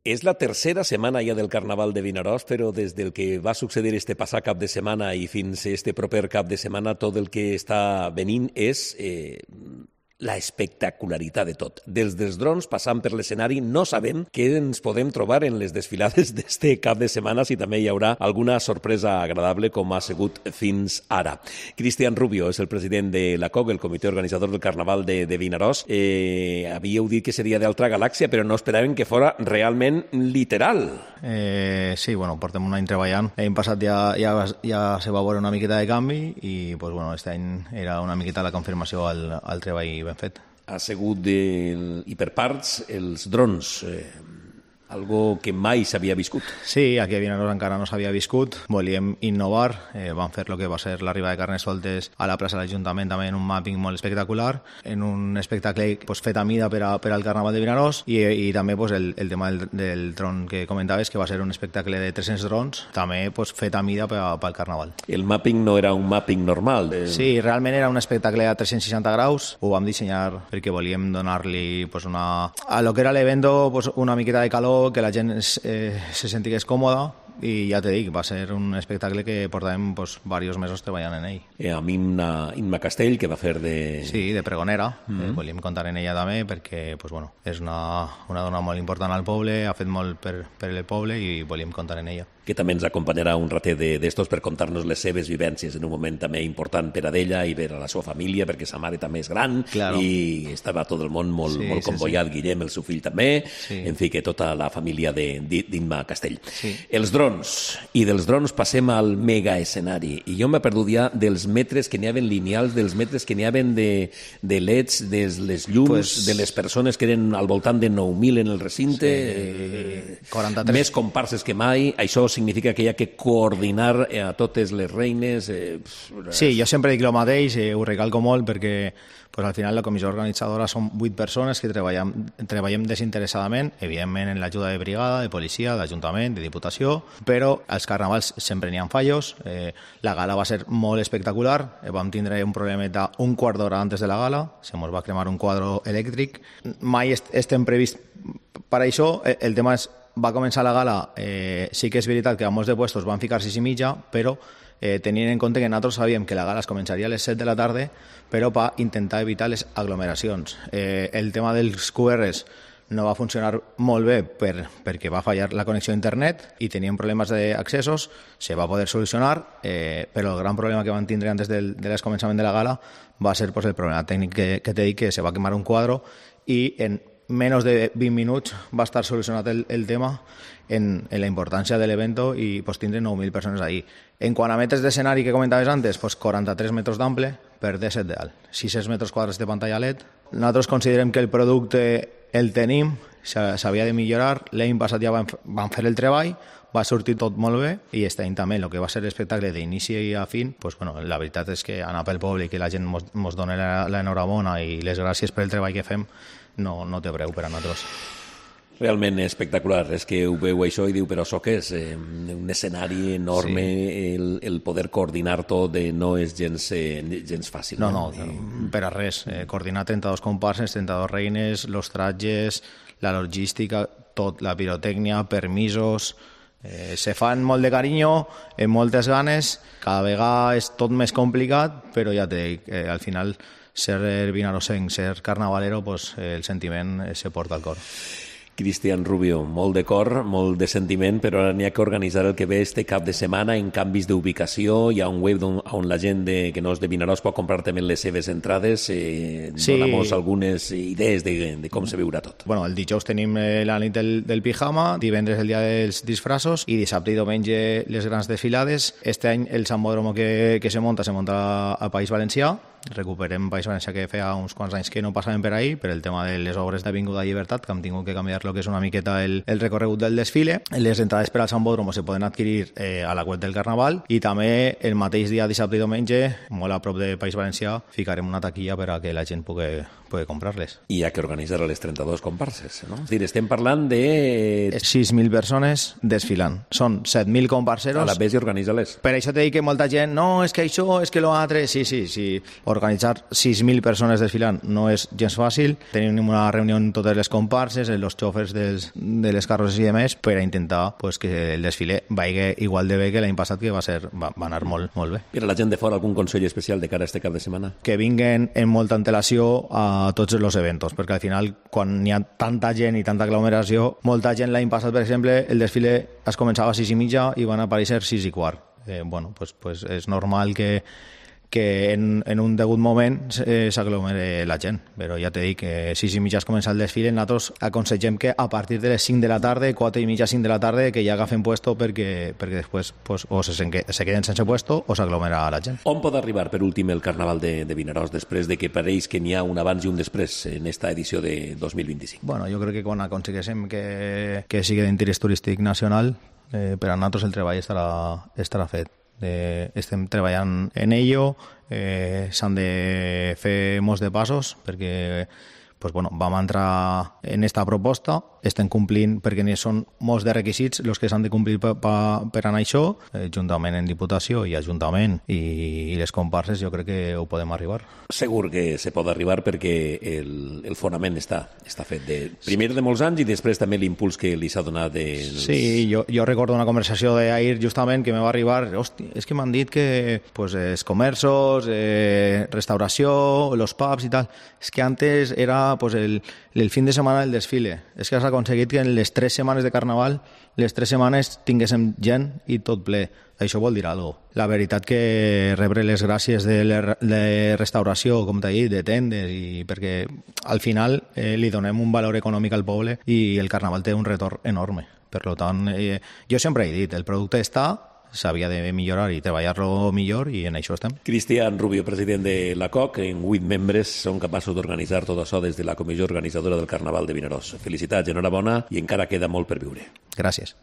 És la tercera setmana ja del Carnaval de Vinaròs, però des del que va succeir este passat cap de setmana i fins a este proper cap de setmana, tot el que està venint és la espectacularitat de tot. Dels drons passant per l'escenari, no sabem què ens podem trobar en les desfilades d'este cap de setmana, si també hi haurà alguna sorpresa agradable com ha sigut fins ara. Cristian Rubio és el president de la COC, el comitè organitzador del Carnaval de Vinaròs. Havíeu dit que seria d'altra galàxia, però no esperaven que fora realment literal. Sí, bueno, portem un any treballant. L'any passat ja se va veure una miqueta de canvi i pues, bueno, este any era una miqueta la confirmació al treball ben fet. Ha sigut i per parts els drons, algo que mai s'havia viscut. Sí, aquí a Vinaròs encara no s'havia viscut. Volíem innovar, vam fer el que va ser l'arribada de Carnestoltes a la plaça de l'Ajuntament, també en un mapping molt espectacular, en un espectacle pues, fet a mida per al Carnaval de Vinaròs i també pues, el tema del dron que comentaves, que va ser un espectacle de 300 drons, també pues, fet a mida pel Carnaval. El mapping no era un mapping normal? Sí, realment era un espectacle a 360 graus, ho vam dissenyar perquè volíem donar-li pues, a lo que era l'evento pues, una miqueta de calor, que la gent se sentigués còmoda i ja te dic, va ser un espectacle que portàvem pues, diversos mesos treballant en ell. Amb Imma Castell, que va fer de... Sí, de pregonera. Volíem comptar en ella també perquè pues, bueno, és una dona molt important al poble, ha fet molt per el poble i volíem comptar en ella. Que també ens acompanyarà un ratet d'estos per contar-nos les seves vivències en un moment també important per a ella i per a la seva família, perquè sa mare també és gran, claro. I estava tot el món molt convoiat, sí. Guillem, el seu fill també, sí. En fi, que tota la família d'Imma Castell. Sí. Els drons, i dels drons passem al mega escenari, i jo m'he perdut ja dels metres que n'hi havien lineals, dels metres que n'hi havien de LEDs, de les llums, pues... de les persones que eren al voltant de 9.000 en el recinte, sí. 43. Més comparses que mai, això significa que hi ha que coordinar a totes les reines. Sí, jo sempre dic el mateix, ho recalco molt perquè pues, al final la comissió organitzadora són 8 persones que treballem desinteressadament, evidentment en l'ajuda de brigada, de policia, d'Ajuntament, de Diputació, però als carnavals sempre n'hi ha fallos. La gala va ser molt espectacular, vam tindre un problemeta un quart d'hora antes de la gala, se ens va cremar un quadre elèctric. Mai estem previst per això, el tema és va començar la gala, sí que és veritat que a molts de puestos van ficar 6:30, però tenint en compte que nosaltres sabíem que la gala es començaria a les 7 de la tarda, però per intentar evitar les aglomeracions. El tema dels QRs no va funcionar molt bé perquè va fallar la connexió a internet i teníem problemes d'accessos, se va poder solucionar, però el gran problema que van tindre antes del començament de la gala va ser pues, el problema tècnic que t'he dit, que se va quemar un quadre i en menos de 20 minuts va estar solucionat el tema en la importància de l'evento i pues, tindre 9.000 persones ahí. En quant a metres d'escenari que comentaves antes, pues, 43 metres d'ample per 17 d'alt, 600 metres quadrats de pantalla LED. Nosaltres considerem que el producte el tenim, s'havia de millorar. L'any passat ja vam fer el treball, va sortir tot molt bé i este any també, el que va ser l'espectacle d'inici a fin, pues, bueno, la veritat és que anar pel poble i que la gent ens doni l'enhorabona i les gràcies per el treball que fem no té preu per a nosaltres. Realment espectacular, és que ho veu això i diu, però això què és? Un escenari enorme, sí. El poder coordinar tot no és gens fàcil. No, per a res. Coordinar 32 comparses, 32 reines, los trajes, la logística, tot, la pirotècnia, permisos... se fan molt de carinyo, amb moltes ganes, cada vegada és tot més complicat, però ja te dic, al final ser vinarosenc, ser carnavalero, pues, el sentiment se porta al cor. Cristian Rubio, molt de cor, molt de sentiment, però ara n'hi ha que organitzar el que ve este cap de setmana en canvis d'ubicació. Hi ha un web on la gent que no és de Vinaròs pot comprar també les seves entrades. Sí. Dona'm algunes idees de com se veurà tot. Bueno, el dijous tenim la nit del pijama, divendres el dia dels disfraços i dissabte i diumenge les grans desfilades. Este any el sambòdromo que se munta a País Valencià. Recuperem País Valencià, que feia uns quants anys que no passaven per ahí per el tema de les obres d'Avinguda Llibertat, que hem tingut que canviar el que és una miqueta el recorregut del desfile. Les entrades per al sambòdromo se poden adquirir a la web del Carnaval i també el mateix dia dissabte i diumenge, molt a prop de País Valencià, ficarem una taquilla per a que la gent pugui puede comprarles. I hi ha que organitzar les 32 comparses, no? És a dir, estem parlant de... 6.000 persones desfilant. Són 7.000 comparseros. A la vez i organitza-les. Per això t'he dit que molta gent, no, és que això, és que lo altre... Sí. Organitzar 6.000 persones desfilant no és gens fàcil. Tenim una reunió amb totes les comparses, els xòfers de les carrosses i demés, per a intentar pues, que el desfile vagi igual de bé que l'any passat, que va anar molt bé. Per a la gent de fora, algun consell especial de cara a este cap de setmana? Que vinguen en molta antelació a tots els eventos, perquè al final, quan hi ha tanta gent i tanta aglomeració, molta gent l'any passat, per exemple, el desfile es començava a 6:30 i van aparèixer 6:15. Pues és normal que en un degut moment s'aglomere la gent, però ja t'he dit que 6:30 es comença el desfile. Nosaltres aconsellem que a partir de les 5 de la tarda, 4:30, 5 de la tarda, que ja agafen puesto perquè després pues, o se queden sense puesto o s'aglomera la gent. On pot arribar, per últim, el Carnaval de Vinaròs, després de que pareix que n'hi ha un abans i un després en esta edició de 2025? Bueno, jo crec que quan aconsegueixem que sigui d'interès turístic nacional, per a nosaltres el treball estarà fet. Estem treballant en ello, s'han de fer molts de passos perquè vam entrar en esta proposta, estem complint perquè són molts de requisits els que s'han de complir per anar a això, juntament en Diputació i Ajuntament i les comparses, jo crec que ho podem arribar. Segur que se pot arribar perquè el fonament està fet primer de molts anys i després també l'impuls que li s'ha donat. Sí, jo recordo una conversació d'ahir justament que me va arribar, hòstia, és que m'han dit que els comerços, restauració, los pubs i tal, és que antes era el fin de setmana del desfile. És que has aconseguit que en les 3 setmanes de Carnaval, les 3 setmanes tinguéssim gent i tot ple. Això vol dir alguna cosa. La veritat que rebre les gràcies de restauració, com t'he dit, de tendes, i perquè al final li donem un valor econòmic al poble i el Carnaval té un retorn enorme. Per tant, jo sempre he dit, el producte està, s'havia de millorar i treballar-lo millor i en això estem. Cristian Rubio, president de la COC, en 8 membres són capaços d'organitzar tot això des de la comissió organitzadora del Carnaval de Vinaròs. Felicitats, enhorabona i encara queda molt per viure. Gràcies.